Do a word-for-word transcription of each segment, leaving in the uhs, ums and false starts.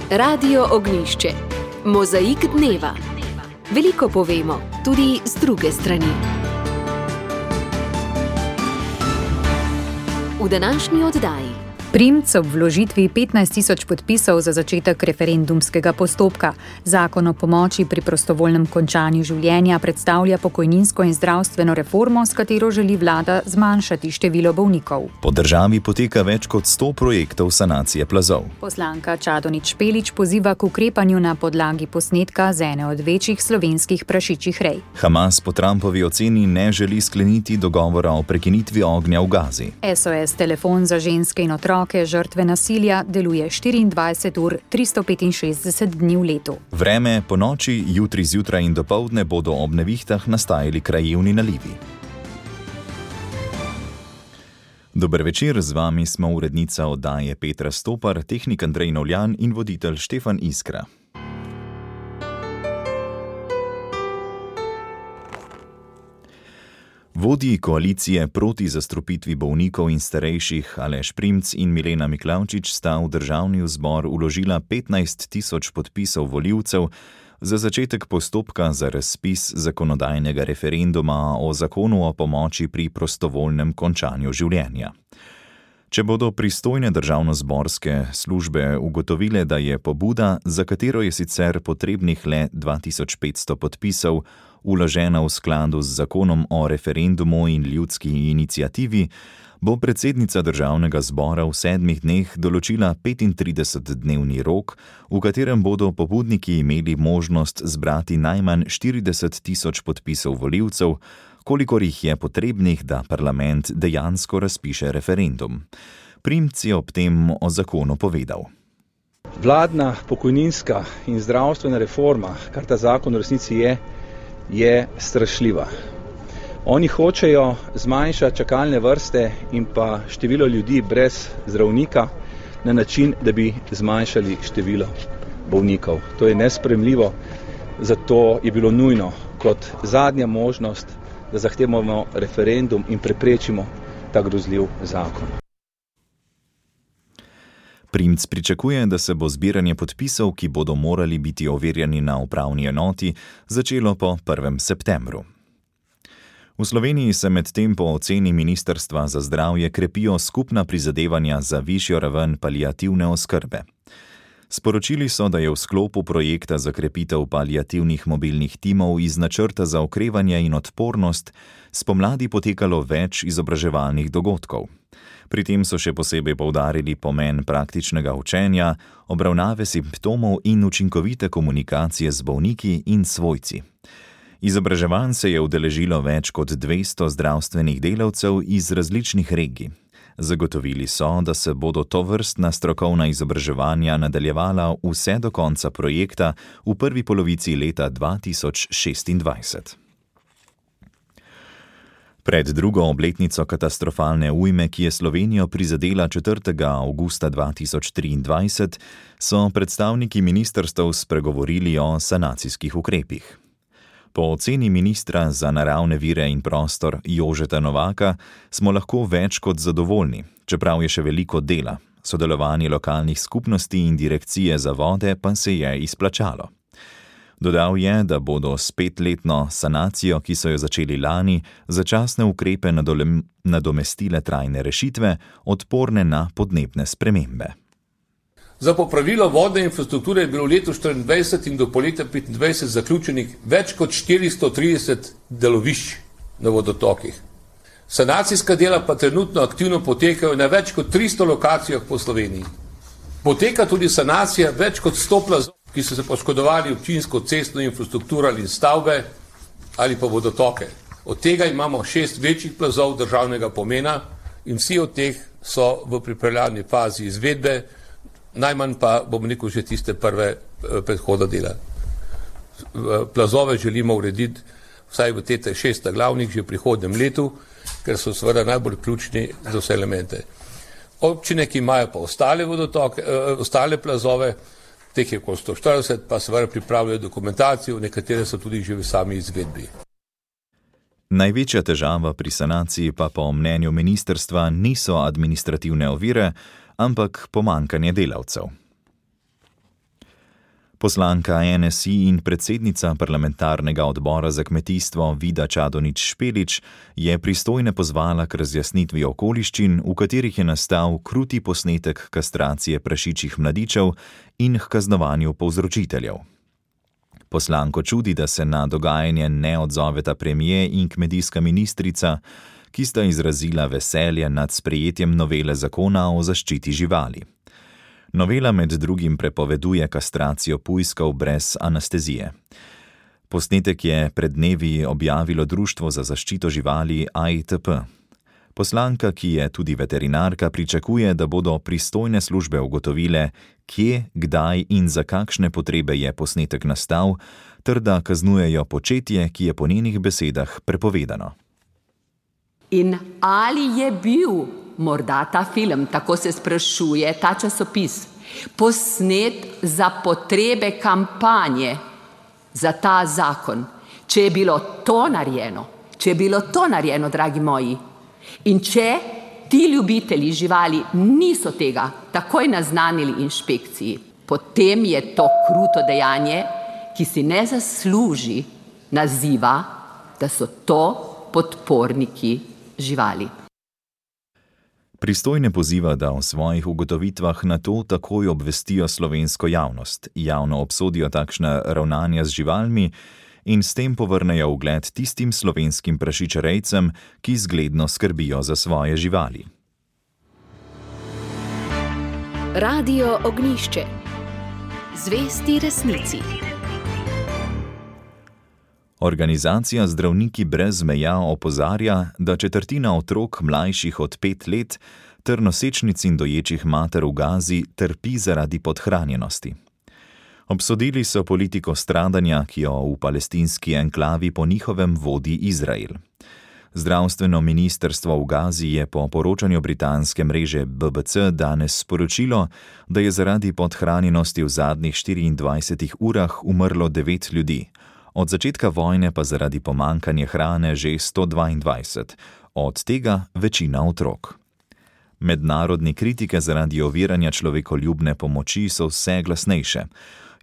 Radio Ognjišče. Mozaik dneva. Veliko povemo, tudi z druge strani. V današnji oddaji. Primc ob vložitvi petnajst tisoč podpisov za začetek referendumskega postopka. Zakon o pomoči pri prostovoljnem končanju življenja predstavlja pokojninsko in zdravstveno reformo, s katero želi vlada zmanjšati število bolnikov. Po državi poteka več kot sto projektov sanacije plazov. Poslanka Čadonič Špelič poziva k ukrepanju na podlagi posnetka z ene od večjih slovenskih prašičjih rej. Hamas po Trumpovi oceni ne želi skleniti dogovora o prekinitvi ognja v Gazi. S O S telefon za ženske in otroke žrtve nasilja deluje štiriindvajset ur, tristo petinšestdeset dni v letu. Vreme po noči, jutri zjutraj in dopoldne bodo ob nevihtah nastajali krajevni nalivi. Dober večer, z vami smo urednica oddaje Petra Stopar, tehnik Andrej Novljan in voditelj Štefan Iskra. Vodji koalicije proti zastrupitvi bolnikov in starejših Aleš Primc in Milena Miklavčič sta v državni zbor vložila petnajst tisoč podpisov volivcev za začetek postopka za razpis zakonodajnega referenduma o zakonu o pomoči pri prostovoljnem končanju življenja. Če bodo pristojne državnozborske službe ugotovile, da je pobuda, za katero je sicer potrebnih le dva tisoč petsto podpisov, vložena v skladu z zakonom o referendumu in ljudski iniciativi, bo predsednica državnega zbora v sedmih dneh določila petintridesetdnevni rok, v katerem bodo pobudniki imeli možnost zbrati najmanj štirideset tisoč podpisov volivcev, kolikor jih je potrebnih, da parlament dejansko razpiše referendum. Primc je ob tem o zakonu povedal. Vladna pokojninska in zdravstvena reforma, kar ta zakon v resnici je, je strašljiva. Oni hočejo zmanjšati čakalne vrste in pa število ljudi brez zdravnika na način, da bi zmanjšali število bolnikov. To je nesprejemljivo, zato je bilo nujno kot zadnja možnost, da zahtevamo referendum in preprečimo ta grozljiv zakon. Primc pričakuje, da se bo zbiranje podpisov, ki bodo morali biti overjeni na upravni enoti, začelo po prvem septembru. V Sloveniji se medtem po oceni Ministrstva za zdravje krepijo skupna prizadevanja za višjo raven paliativne oskrbe. Sporočili so, da je v sklopu projekta za krepitev paliativnih mobilnih timov iz načrta za okrevanje in odpornost spomladi potekalo več izobraževalnih dogodkov. Pri tem so še posebej poudarili pomen praktičnega učenja, obravnave simptomov in učinkovite komunikacije z bolniki in svojci. Izobraževanj se je udeležilo več kot dvesto zdravstvenih delavcev iz različnih regij. Zagotovili so, da se bodo tovrstna strokovna izobraževanja nadaljevala vse do konca projekta v prvi polovici leta dva tisoč šestindvajset. Pred drugo obletnico katastrofalne ujme, ki je Slovenijo prizadela četrtega avgusta dva tisoč triindvajset, so predstavniki ministrstev spregovorili o sanacijskih ukrepih. Po oceni ministra za naravne vire in prostor Jožeta Novaka smo lahko več kot zadovoljni, čeprav je še veliko dela. Sodelovanje lokalnih skupnosti in direkcije za vode pa se je izplačalo. Dodal je, da bodo s petletno sanacijo, ki so jo začeli lani, začasne ukrepe nadomestile trajne rešitve, odporne na podnebne spremembe. Za popravilo vodne infrastrukture je bilo v letu štiriindvajset in do poletja petindvajset zaključenih več kot štiristo trideset delovišč na vodotokih. Sanacijska dela pa trenutno aktivno potekajo na več kot tristo lokacijah po Sloveniji. Poteka tudi sanacija več kot sto plazov, ki so se poškodovali občinsko cestno infrastrukturo ali stavbe ali pa vodotoke. Od tega imamo šest večjih plazov državnega pomena in vsi od teh so v pripravljalni fazi izvedbe, najmanj pa, bom rekel, že tiste prve predhoda dela. Plazove želimo urediti vsaj v tete šesta glavnih že v prihodnem letu, ker so seveda najbolj ključni za vse elemente. Občine, ki imajo pa ostale vodotoke, ostale plazove, teh je okoli sto štirideset, pa seveda pripravljajo dokumentacijo, nekatere so tudi že v sami izvedbi. Največja težava pri sanaciji pa po mnenju ministrstva niso administrativne ovire, ampak pomanjkanje delavcev. Poslanka N S I in predsednica parlamentarnega odbora za kmetijstvo Vida Čadonič Špelič je pristojne pozvala k razjasnitvi okoliščin, v katerih je nastal kruti posnetek kastracije prašičjih mladičev in h kaznovanju povzročiteljev. Poslanko čudi, da se na dogajanje ne odzoveta premier in kmetijska ministrica, ki sta izrazila veselje nad sprejetjem novele zakona o zaščiti živali. Novela med drugim prepoveduje kastracijo pujskov brez anestezije. Posnetek je pred dnevi objavilo Društvo za zaščito živali A I T P. Poslanka, ki je tudi veterinarka, pričakuje, da bodo pristojne službe ugotovile, kje, kdaj in za kakšne potrebe je posnetek nastal, ter da kaznujejo početje, ki je po njenih besedah prepovedano. In ali je bil morda ta film, tako se sprašuje ta časopis, posnet za potrebe kampanje za ta zakon? Če je bilo to narejeno, če je bilo to narejeno, dragi moji, in če ti ljubitelji živali niso tega takoj naznanili inšpekciji, potem je to kruto dejanje, ki si ne zasluži naziva, da so to podporniki živali. Pristojne poziva, da o svojih ugotovitvah na to takoj obvestijo slovensko javnost, javno obsodijo takšna ravnanja z živalmi in s tem povrnejo ugled tistim slovenskim prašičerejcem, ki zgledno skrbijo za svoje živali. Radio Ognjišče. Zvesti resnici. Organizacija Zdravniki brez meja opozarja, da četrtina otrok mlajših od pet let ter nosečnic in doječih mater v Gazi trpi zaradi podhranjenosti. Obsodili so politiko stradanja, ki jo v palestinski enklavi po njihovem vodi Izrael. Zdravstveno ministrstvo v Gazi je po poročanju britanske mreže B B C danes sporočilo, da je zaradi podhranjenosti v zadnjih štiriindvajsetih urah umrlo devet ljudi. Od začetka vojne pa zaradi pomanjkanja hrane že sto dvaindvajset, od tega večina otrok. Mednarodne kritike zaradi oviranja človekoljubne pomoči so vse glasnejše.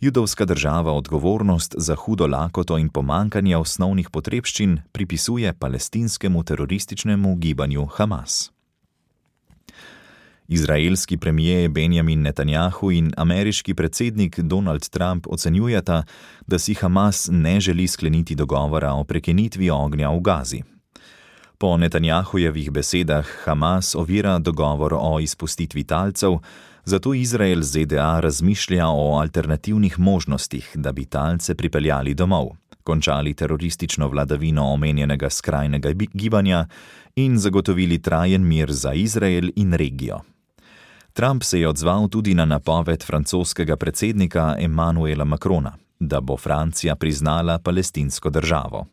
Judovska država odgovornost za hudo lakoto in pomanjkanje osnovnih potrebščin pripisuje palestinskemu terorističnemu gibanju Hamas. Izraelski premier Benjamin Netanjahu in ameriški predsednik Donald Trump ocenjujeta, da si Hamas ne želi skleniti dogovora o prekinitvi ognja v Gazi. Po Netanjahujevih besedah Hamas ovira dogovor o izpustitvi talcev, zato Izrael Z D A razmišlja o alternativnih možnostih, da bi talce pripeljali domov, končali teroristično vladavino omenjenega skrajnega gibanja in zagotovili trajen mir za Izrael in regijo. Trump se je odzval tudi na napoved francoskega predsednika Emmanuela Macrona, da bo Francija priznala palestinsko državo.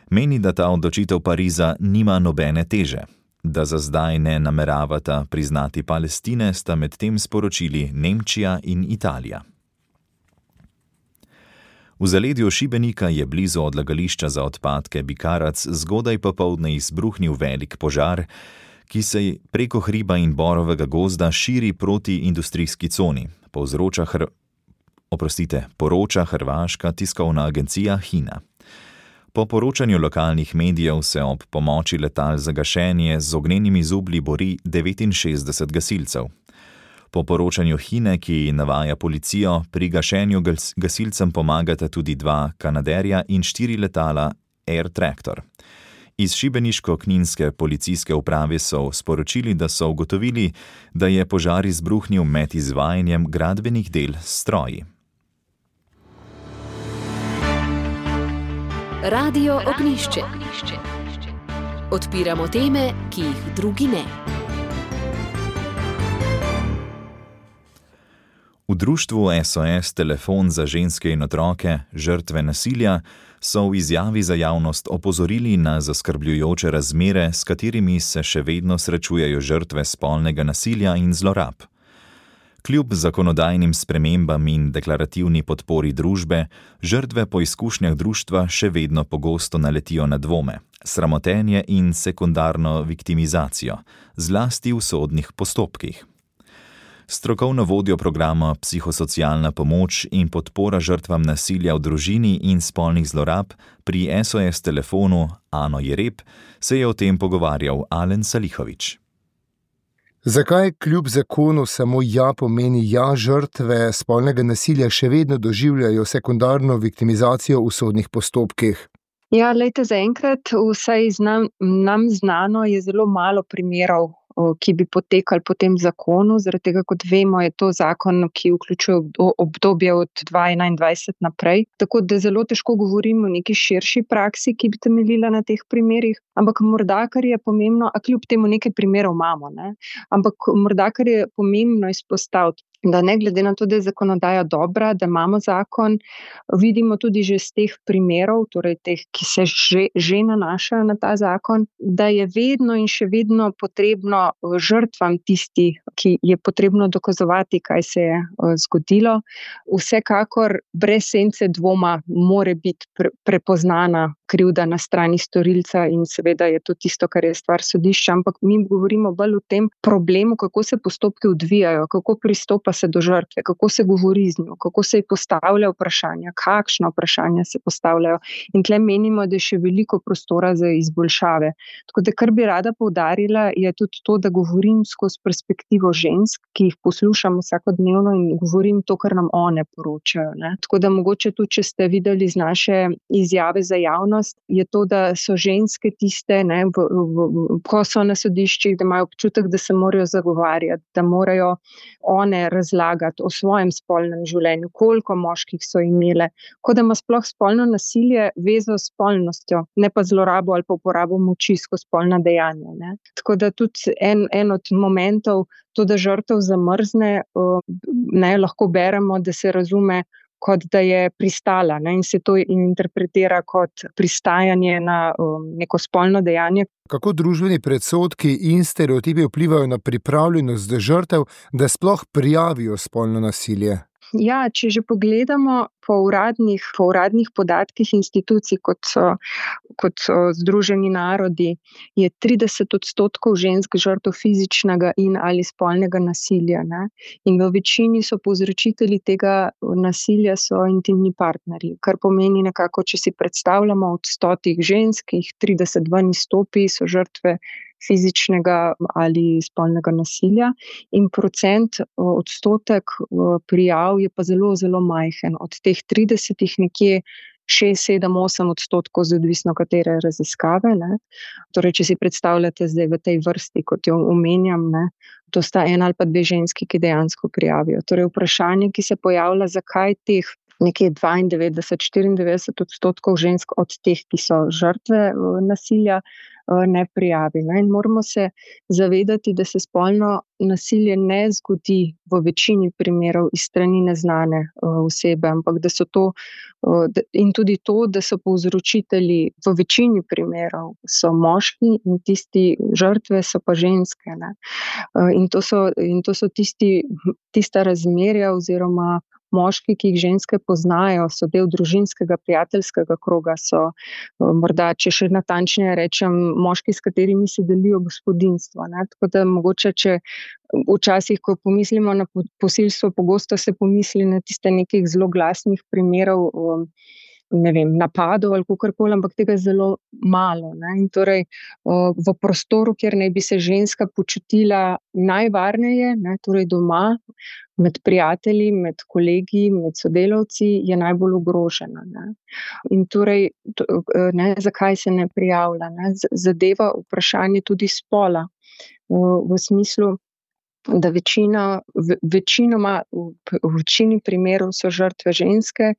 Meni, da ta odločitev Pariza nima nobene teže. Da za zdaj ne nameravata priznati Palestine, sta medtem sporočili Nemčija in Italija. V zaledju Šibenika je blizu odlagališča za odpadke Bikarac zgodaj popoldne izbruhnil velik požar, ki se preko hriba in borovega gozda širi proti industrijski coni, povzroča hr... Oprostite, poroča hrvaška tiskovna agencija Hina. Po poročanju lokalnih medijev se ob pomoči letal za gašenje z ognjenimi zublji bori devetinšestdeset gasilcev. Po poročanju Hine, ki navaja policijo, pri gašenju gasilcem pomagata tudi dva Kanaderja in štiri letala Air Tractor. Iz šibeniško-kninske policijske uprave so sporočili, da so ugotovili, da je požar izbruhnil med izvajanjem gradbenih del s stroji. Radio Ognjišče. Odpiramo teme, ki jih drugi ne. V društvu S O S Telefon za ženske in otroke, žrtve nasilja, so v izjavi za javnost opozorili na zaskrbljujoče razmere, s katerimi se še vedno srečujejo žrtve spolnega nasilja in zlorab. Kljub zakonodajnim spremembam in deklarativni podpori družbe, žrtve po izkušnjah društva še vedno pogosto naletijo na dvome, sramotenje in sekundarno viktimizacijo, zlasti v sodnih postopkih. Strokovno vodjo programa Psihosocialna pomoč in podpora žrtvam nasilja v družini in spolnih zlorab pri S O S telefonu Ano Jereb se je o tem pogovarjal Alen Salihović. Zakaj kljub zakonu samo ja pomeni ja žrtve spolnega nasilja še vedno doživljajo sekundarno viktimizacijo v sodnih postopkih? Ja, lejte, zaenkrat vsaj znam, nam znano je zelo malo primerov, ki bi potekali po tem zakonu, zaradi tega, kot vemo, je to zakon, ki vključuje obdobje od dva tisoč enaindvajset naprej. Tako da zelo težko govorimo o neki širši praksi, ki bi temeljila na teh primerih, ampak morda, kar je pomembno, a kljub temu nekaj primerov imamo, ne? Ampak morda, kar je pomembno izpostaviti, da ne glede na to, da je zakonodaja dobra, da imamo zakon, vidimo tudi že z teh primerov, torej teh, ki se že, že nanašajo na ta zakon, da je vedno in še vedno potrebno žrtvam tisti, ki je potrebno dokazovati, kaj se je zgodilo. Vsekakor brez sence dvoma more biti pre, prepoznana krivda na strani storilca in seveda je to tisto, kar je stvar sodišča, ampak mi govorimo bolj o tem problemu, kako se postopki odvijajo, kako pristopa se do žrtve, kako se govori z njo, kako se ji postavlja vprašanja, kakšna vprašanja se postavljajo. In tle menimo, da je še veliko prostora za izboljšave. Tako da, kar bi rada poudarila, je tudi to, da govorim skozi perspektivo žensk, ki jih poslušam vsakodnevno in govorim to, kar nam one poročajo, ne. Tako da mogoče tudi, če ste videli z naše izjave za javnost, je to, da so ženske tiste, ne, v, v, v, ko so na sodiščih, da imajo občutek, da se morajo zagovarjati, da morajo one razlagati o svojem spolnem življenju, koliko moških so imele, kot da ima sploh spolno nasilje vezo s spolnostjo, ne pa zlorabo ali pa uporabo moči skozi spolna dejanja, ne. Tako da tudi en, en od momentov, to, da žrtev zamrzne, ne, lahko beremo, da se razume kot da je pristala, ne, in se to interpretira kot pristajanje na um, neko spolno dejanje. Kako družbeni predsodki in stereotipi vplivajo na pripravljenost žrtev, da sploh prijavijo spolno nasilje? Ja, če že pogledamo po uradnih, po uradnih podatkih institucij, kot so, kot so Združeni narodi, je trideset odstotkov žensk žrtev fizičnega in ali spolnega nasilja, ne? In v večini so povzročitelji tega nasilja so intimni partnerji, kar pomeni nekako, če si predstavljamo od stotih žensk, jih trideset ven izstopi, so žrtve fizičnega ali spolnega nasilja in procent, odstotek prijav je pa zelo, zelo majhen. Od teh tridesetih nekje šest, sedem, osem odstotkov, odvisno katere raziskave, ne. Torej, če si predstavljate zdaj v tej vrsti, kot jo omenjam, ne, to sta ena ali pa dve ženski, ki dejansko prijavijo. Torej, vprašanje, ki se pojavlja, zakaj teh nekje dvaindevetdeset, štiriindevetdeset odstotkov žensk od teh, ki so žrtve nasilja, ne prijavi. Ne? In moramo se zavedati, da se spolno nasilje ne zgodi v večini primerov iz strani neznane osebe, ampak da so to, in tudi to, da so povzročitelji v večini primerov so moški in tisti žrtve so pa ženske. Ne? In to so, in to so tisti, tista razmerja oziroma moški, ki jih ženske poznajo, so del družinskega, prijateljskega kroga, so morda, če še natančneje rečem, moški, s katerimi se delijo gospodinjstvo. Ne? Tako da mogoče, če včasih, ko pomislimo na posilstvo, pogosto se pomisli na tiste nekih zelo glasnih primerov, ne vem, napadov ali kakorkoli, ampak tega je zelo malo. Ne? In torej v prostoru, kjer naj bi se ženska počutila najvarneje, ne, torej doma, med prijatelji, med kolegi, med sodelavci, je najbolj ogrožena. Ne? In torej, ne, zakaj se ne prijavlja? Ne? Zadeva vprašanje tudi spola, v, v smislu, da večina, večinoma, v večini primerov so žrtve ženske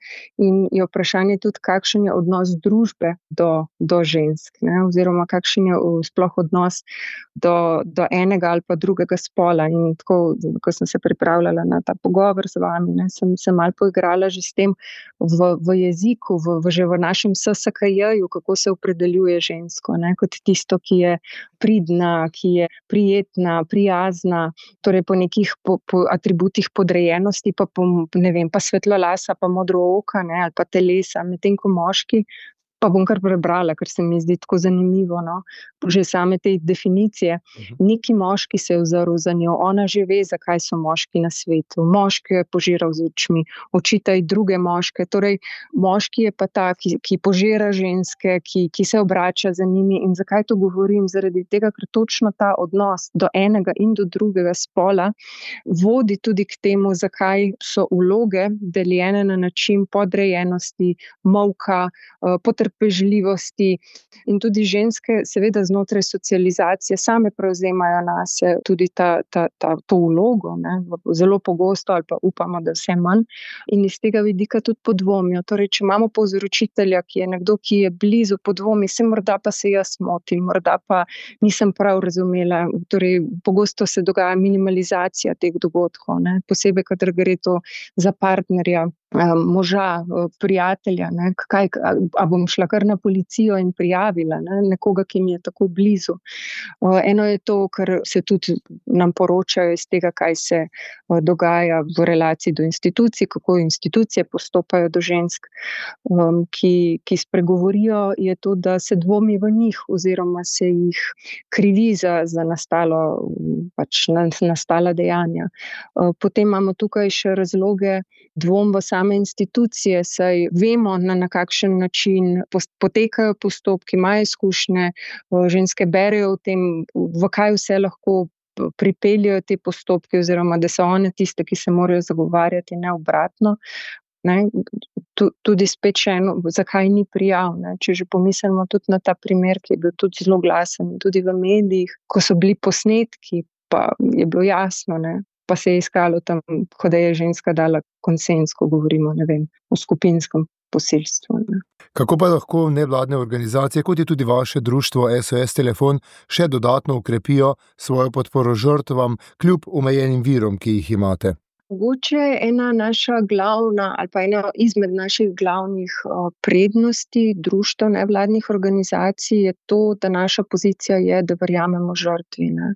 in je vprašanje tudi, kakšen je odnos družbe do, do žensk, ne? Oziroma kakšen je sploh odnos do, do enega ali pa drugega spola. In tako, ko sem se pripravljala na ta pogovor z vami, ne, sem se malo poigrala že s tem v, v jeziku, v, v, že v našem S S K J-ju, kako se opredeljuje žensko, ne? Kot tisto, ki je pridna, ki je prijetna, prijazna, torej po nekih po, po atributih podrejenosti, pa, po, ne vem, pa svetlolasa, pa modro oka, ne, ali pa telesa, medtem ko moški Pa bom kar prebrala, ker se mi zdi tako zanimivo, no? Že same te definicije. Neki moški se je vzrl za njo, ona že ve, zakaj so moški na svetu. Moški je požiral z očmi, očitaj druge moške. Torej, moški je pa ta, ki, ki požira ženske, ki, ki se obrača za njimi. In zakaj to govorim? Zaradi tega, ker točno ta odnos do enega in do drugega spola vodi tudi k temu, zakaj so vloge deljene na način podrejenosti, molka, potrpežljivosti in tudi ženske seveda znotraj socializacije same prevzemajo nase tudi ta, ta, ta, to vlogo, ne, zelo pogosto ali pa upamo, da vse manj in iz tega vidika tudi podvomijo. Torej, če imamo povzročitelja, ki je nekdo, ki je blizu, podvomi, se morda pa se jaz motim, morda pa nisem prav razumela. Torej, pogosto se dogaja minimalizacija teh dogodkov, ne, posebej, kadar gre to za partnerja, moža, prijatelja, ne, kaj, a bom šla kar na policijo in prijavila, ne, nekoga, ki mi je tako blizu. Eno je to, kar se tudi nam poročajo iz tega, kaj se dogaja v relaciji do institucij, kako institucije postopajo do žensk, ki, ki spregovorijo, je to, da se dvomi v njih oziroma se jih krivi za, za nastalo, pač nastala dejanja. Potem imamo tukaj še razloge dvom v same institucije, saj vemo, na, na kakšen način potekajo postopki, imajo izkušnje, ženske berejo o tem, v kaj vse lahko pripeljajo te postopke, oziroma da so one tiste, ki se morajo zagovarjati, ne obratno. Ne, tudi spet še eno, zakaj ni prijav, ne? Če že pomislimo tudi na ta primer, ki je bil tudi zelo glasen, tudi v medijih, ko so bili posnetki, pa je bilo jasno, ne? Pa se je iskalo tam, ko da je ženska dala konsens, ko govorimo, ne vem, o skupinskem posilstvu. Ne? Kako pa lahko nevladne organizacije, kot je tudi vaše društvo S O S Telefon, še dodatno ukrepijo svojo podporo žrtvam, kljub omejenim virom, ki jih imate? Mogoče ena naša glavna ali pa ena izmed naših glavnih prednosti društev nevladnih organizacij je to, da naša pozicija je, da verjamemo žrtvi. Ne?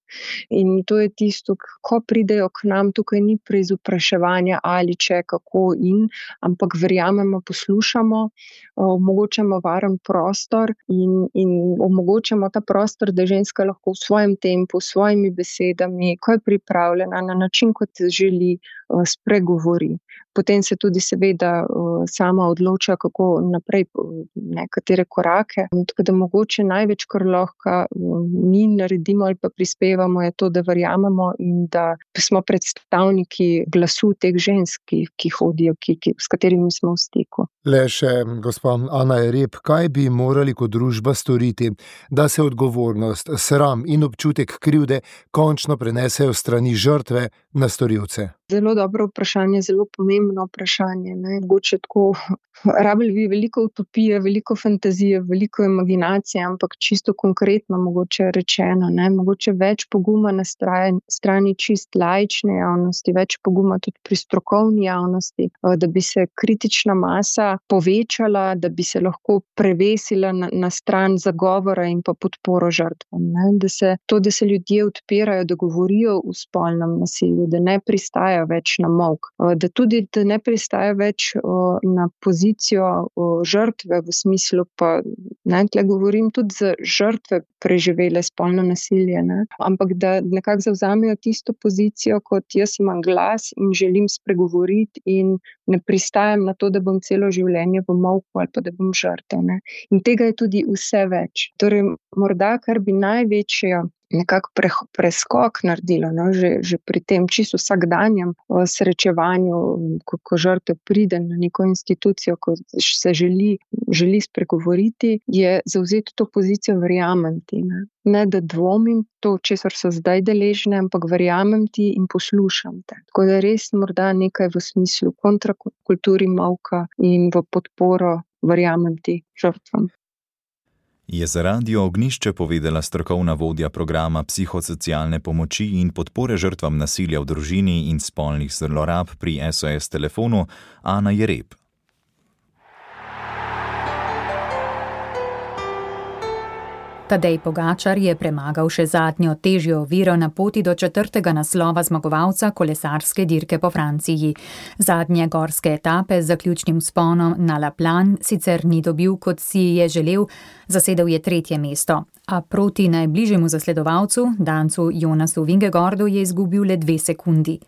In to je tisto, ko pridejo k nam, tukaj ni preizopraševanja ali če, kako in, ampak verjamemo, poslušamo, omogočamo varen prostor in, in omogočamo ta prostor, da ženska lahko v svojem tempu, s svojimi besedami, ko je pripravljena na način, kot želi, spregovori. Potem se tudi seveda sama odloča, kako naprej, nekatere korake. Tako da mogoče največ, kar lahko mi naredimo ali pa prispevamo, je to, da verjamemo in da smo predstavniki glasu teh žensk, ki, ki hodijo, ki, ki, s katerimi smo v stiku. Le še, gospa Ana Jereb, kaj bi morali kot družba storiti, da se odgovornost, sram in občutek krivde končno prenesejo strani žrtve na storilce? Zelo dobro vprašanje, zelo pomembno vprašanje. Ne? Mogoče tako, rabili bi veliko utopije, veliko fantazije, veliko imaginacije, ampak čisto konkretno mogoče rečeno, ne? Mogoče več poguma na strani, strani čist laične javnosti, več poguma tudi pri strokovni javnosti, da bi se kritična masa povečala, da bi se lahko prevesila na, na stran zagovora in pa podporo žrtvam. Ne? Da se, to, da se ljudje odpirajo, da govorijo o spolnem nasilju, da ne pristajajo več na molk, da tudi da ne pristaja več o, na pozicijo o, žrtve v smislu, pa ne, tle govorim tudi za žrtve preživele spolno nasilje, ne? Ampak da nekako zavzamejo tisto pozicijo, kot jaz imam glas in želim spregovoriti in ne pristajam na to, da bom celo življenje v molku ali pa da bom žrtev. Ne? In tega je tudi vse več. Torej, morda, kar bi največja nekako pre, preskok naredilo, no? že, že pri tem čisto vsakdanjem srečevanju, ko, ko žrtev pride na neko institucijo, ko se želi, želi spregovoriti, je zavzeti to pozicijo verjamem ti. Ne? Ne, da dvomim to, česar so zdaj deležne, ampak verjamem ti in poslušam te. Tako da res morda nekaj v smislu kontrakulturi molka in v podporo verjamem ti žrtvam. Je za Radio Ognjišče povedala strokovna vodja programa psihosocialne pomoči in podpore žrtvam nasilja v družini in spolnih zlorab pri S O S Telefonu Ana Jereb. Tadej Pogačar je premagal še zadnjo težjo oviro na poti do četrtega naslova zmagovalca kolesarske dirke po Franciji. Zadnje gorske etape z zaključnim vzponom na La Plan sicer ni dobil, kot si je želel, zasedel je tretje mesto, a proti najbližjemu zasledovalcu, Dancu Jonasu Vingegaardu, je izgubil le dve sekundi.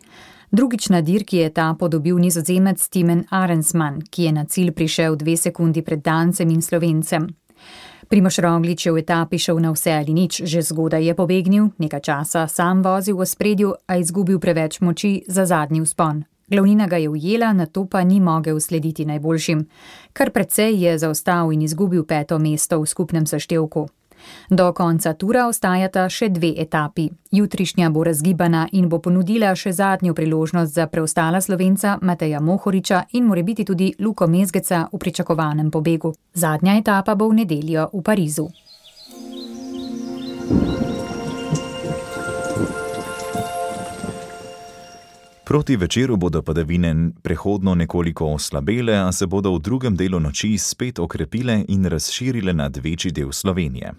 Drugič na dirki je etapo dobil Nizozemec Timen Arensman, ki je na cilj prišel dve sekundi pred Dancem in Slovencem. Primož Roglič je v etapi šel na vse ali nič, že zgodaj je pobegnil, nekaj časa sam vozil v ospredju, a izgubil preveč moči za zadnji vzpon. Glavnina ga je ujela, nato pa ni mogel slediti najboljšim. Kar precej je zaostal in izgubil peto mesto v skupnem seštevku. Do konca tura ostajata še dve etapi. Jutrišnja bo razgibana in bo ponudila še zadnjo priložnost za preostala Slovenca Mateja Mohoriča in morebiti tudi Luko Mezgeca v pričakovanem pobegu. Zadnja etapa bo v nedeljo v Parizu. Proti večeru bodo padavine prehodno nekoliko oslabele, a se bodo v drugem delu noči spet okrepile in razširile nad večji del Slovenije.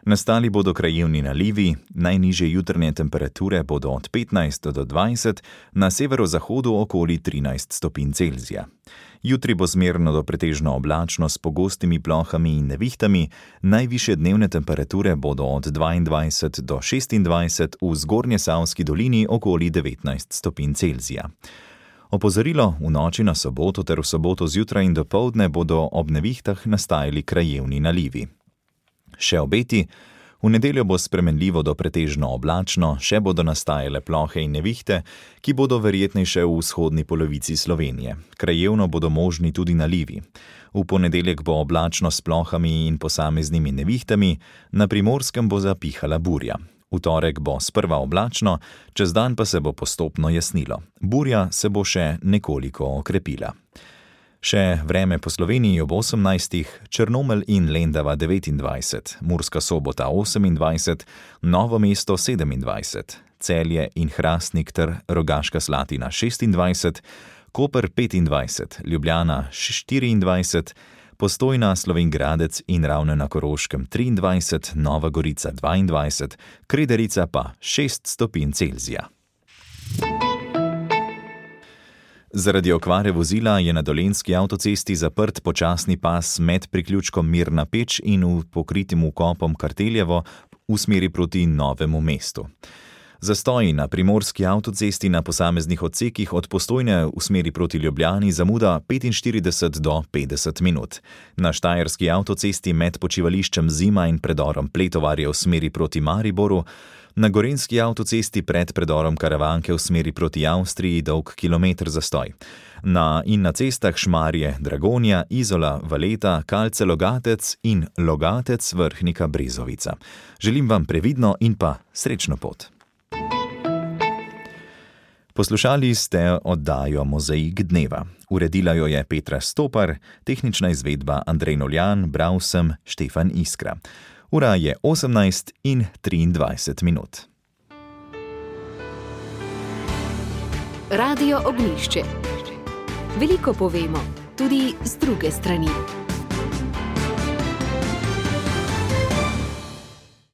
Nastali bodo krajevni nalivi, najnižje jutranje temperature bodo od petnajst do dvajset, na severozahodu okoli trinajst stopinj Celzija. Jutri bo zmerno do pretežno oblačno s pogostimi plohami in nevihtami, najvišje dnevne temperature bodo od dvaindvajset do šestindvajset, v Zgornjesavski dolini okoli devetnajst stopinj Celzija. Opozorilo, v noči na soboto ter v soboto zjutraj in dopoldne bodo ob nevihtah nastajali krajevni nalivi. Še obeti, v nedeljo bo spremenljivo do pretežno oblačno, še bodo nastajale plohe in nevihte, ki bodo verjetnejše v vzhodni polovici Slovenije. Krajevno bodo možni tudi nalivi. V ponedeljek bo oblačno s plohami in posameznimi nevihtami, na Primorskem bo zapihala burja. V torek bo sprva oblačno, čez dan pa se bo postopno jasnilo. Burja se bo še nekoliko okrepila. Še vreme po Sloveniji ob osemnajstih, Črnomelj in Lendava devetindvajset, Murska Sobota osemindvajset, Novo mesto sedemindvajset, Celje in Hrastnik ter Rogaška Slatina šestindvajset, Koper petindvajset, Ljubljana štiriindvajset, Postojna, Slovenj Gradec in Ravne na Koroškem triindvajset, Nova Gorica dvaindvajset, Krederica pa šest stopinj Celzija. Zaradi okvare vozila je na Dolenjski avtocesti zaprt počasni pas med priključkom Mirna Peč in v pokritim vkopom Karteljevo v smeri proti Novemu mestu. Zastoji na primorski avtocesti na posameznih odsekih od Postojne v smeri proti Ljubljani zamuda petinštirideset do petdeset minut. Na štajerski avtocesti med počivališčem Zima in predorom Pletovarje v smeri proti Mariboru, na gorenjski avtocesti pred predorom Karavanke v smeri proti Avstriji dolg kilometer zastoj. Na in na cestah Šmarje, Dragonja, Izola, Valeta, Kalce, Logatec in Logatec, Vrhnika, Brezovica. Želim vam previdno in pa srečno pot. Poslušali ste oddajo Mozaik dneva. Uredila jo je Petra Stopar, tehnična izvedba Andrej Noljan, bral sem Štefan Iskra. Ura je osemnajst in triindvajset minut. Radio Ognjišče. Veliko povemo, tudi z druge strani.